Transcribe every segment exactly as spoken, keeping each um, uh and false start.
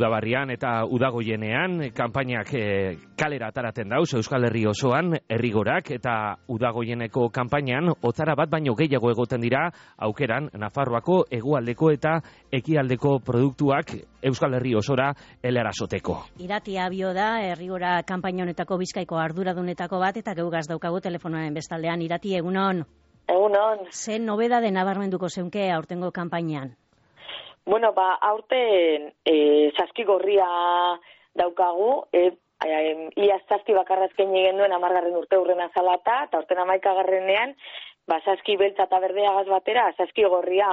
udabarrian eta udagoienean, kanpainak e, kalera ataraten dauz, Euskal Herri osoan, herrigorak eta udagoieneko kanpainan, otzara bat baino gehiago egoten dira, aukeran, Nafarroako hegoaldeko eta ekialdeko produktuak Euskal Herri osora helarasoteko. Irati Abio da, herrigora kanpaina honetako Bizkaiko arduradunetako bat, eta geugaz daukagu telefonoaren bestaldean. Irati, egunon? Egunon. Ze nobedade nabarmenduko zeunke aurtengo kanpainan? Bueno, ba, aurten e, saski gorria daukagu, e, e, ia saski bakarra eskaini genuen amargarren urte urren azalata, eta aurten amaikagarrenean, ba, saski beltza eta berdeagaz batera, saski gorria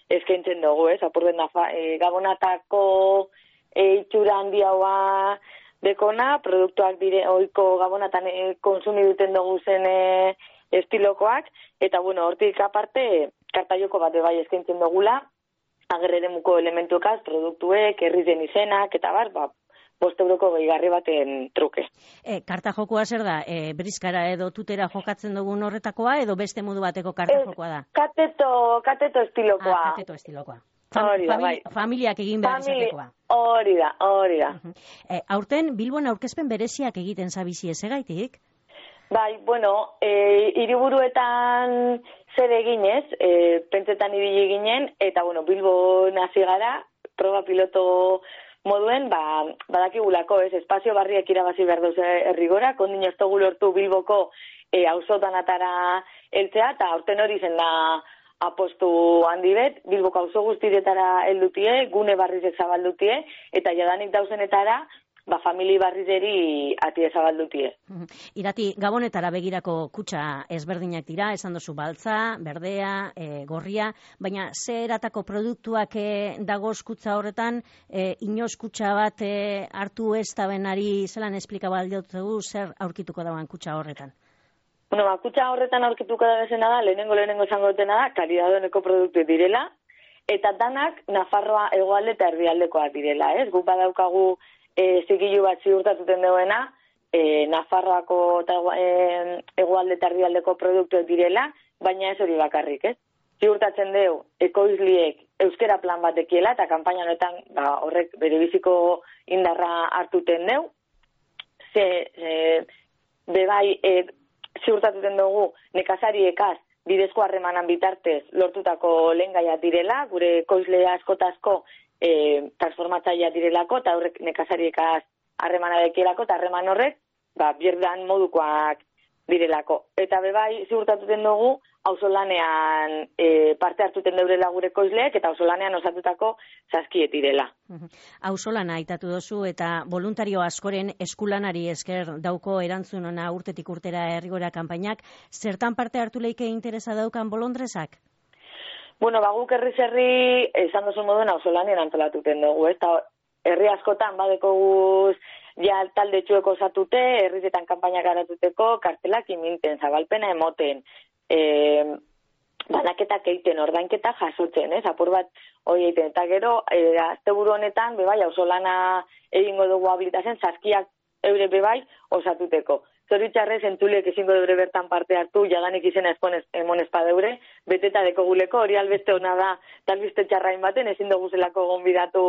eskaintzen dugu, ez? Apurben da, e, gabonatako e, itxura handiagoa dekona, produktuak dire, oiko gabonatan e, konsumi duten dugu zen e, estilokoak, eta, bueno, hortik aparte, kartaioko bat bai eskaintzen dugula, agerreremuko elementuekaz, produktuek, herrizen izenak, eta bar, ba, bost euroko gehigarri baten truke. E, karta jokoa zer da? E, brizkara edo tutera jokatzen dugun horretakoa, edo beste modu bateko karta jokoa da? Kateto, kateto estilokoa. Ah, kateto estilokoa. Fam, hori da, famili, bai. Familiak egin behar Famili, izatekoa. Hori da, hori da. Uh -huh. e, aurten, Bilbon aurkezpen bereziak egiten zabizi ezegaitik? Bai, bueno, e, hiriburuetan zer eginez, e, pentsetan ibili ginen, eta, bueno, Bilbo nazi gara, proba piloto moduen, ba, badakigulako, ez, espazio barriak irabazi behar duz herrigora, kondin ez dugu lortu Bilboko e, auzotan atara eltzea, eta aurten hori zen da apostu handi bet, Bilboko auzo guztietara heldutie, gune barrizek zabaldutie, eta jadanik dauzenetara, ba, famili barrizeri atie zabaldutie. Irati, Gabonetara begirako kutxa ezberdinak dira, esan duzu baltza, berdea, e, gorria, baina ze eratako produktuak e, dagoz kutxa horretan, e, inoz kutxa bat e, hartu ez da benari zelan esplikaba aldiotzegu zer aurkituko dagoen kutxa horretan? Bueno, ba, kutxa horretan aurkituko da bezena da, lehenengo lehenengo esango dutena da, kalidadoneko produktu direla, eta danak Nafarroa hegoalde eta erdialdekoak direla, ez? Guk badaukagu E, zigilu bat ziurtatuten duena, e, Nafarroako eta e, hegoalde eta erdialdeko produktuek direla, baina ez hori bakarrik, ez? Ziurtatzen dugu, ekoizliek euskera plan batekiela, eta kanpaina honetan ba, horrek bere biziko indarra hartuten dugu. Ze, e, bebai, e, ziurtatuten dugu, nekazariekaz, bidezko harremanan bitartez lortutako lehengaia direla, gure ekoizle askotazko E, transformatzailea direlako, eta horrek nekazariekaz harremana dekielako, eta harreman horrek, ba, bierdan modukoak direlako. Eta bebai, ziurtatuten dugu, auzolanean e, parte hartuten deurela gure koizleek, eta auzolanean osatutako saskiet direla. Auzolana aitatu dozu, eta voluntario askoren eskulanari esker dauko erantzun ona urtetik urtera herrigora kanpainak, zertan parte hartu leike interesa daukan bolondrezak? Bueno, ba, guk herriz herri, esan duzu moduen auzolanien antolatuten dugu, ez? Ta, herri askotan badeko guz, ja talde txueko osatute, herritetan kanpainak garatuteko, kartelak iminten, zabalpena emoten, e, banaketak egiten, ordainketa jasotzen, ez? Apur bat hori egiten, eta gero, e, asteburu honetan, bebai, auzolana egingo dugu habilitazen, saskiak eure bebai osatuteko. Zoritxarrez, entzuliek ezingo deure bertan parte hartu, jadanik izena esponez, emon espadeure, beteta deko guleko, hori albeste hona da, talbiste txarrain baten, ezin dugu zelako gonbidatu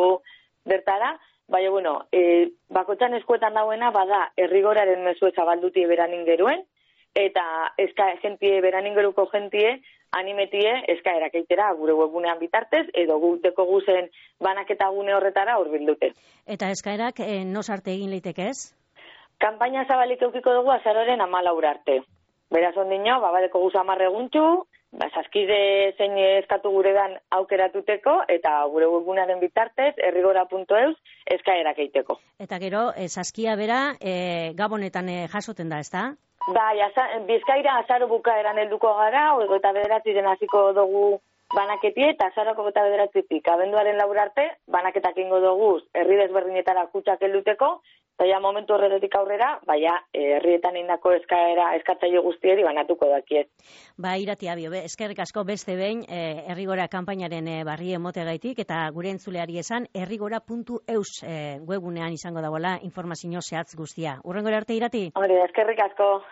bertara, baina, bueno, e, bakotxan eskuetan dauena, bada, herrigoraren mezue zabaldutie beranin geruen, eta eska jentie, beraningeruko jentie, animetie, eskaerak eitera gure webgunean bitartez, edo guteko guzen banaketa gune horretara hurbildute. Eta eskaerak, e, nos arte egin leiteke ez? Kanpaina zabalik eukiko dugu azaroren amalaura arte. Beraz ondino, babadeko guz amarre guntxu, ba, saskide zein eskatu guredan aukeratuteko, eta gure webgunearen bitartez, herrigora puntu eus, eskaerak eiteko. Eta gero, e, saskia bera, e, Gabonetan e, jasoten da, ezta? Bai, Bizkaira azaro bukaeran helduko gara, ogo eta bederatziren hasiko dugu banaketie, eta azaroko eta bederatzitik, abenduaren laur arte, banaketak ingo dugu herri desberdinetara kutsak helduteko, eta ja momentu horretik aurrera, baina herrietan indako eskaera, eskatzaile guztieri banatuko dakiet. Ba, Irati Abio, eskerrik asko beste behin, e, herrigora kanpainaren e, barri emotegaitik, eta gure entzuleari esan, herrigora puntu eus e, webunean izango dagoela informazio zehatz guztia. Urrengora arte, Irati? Hori, eskerrik asko.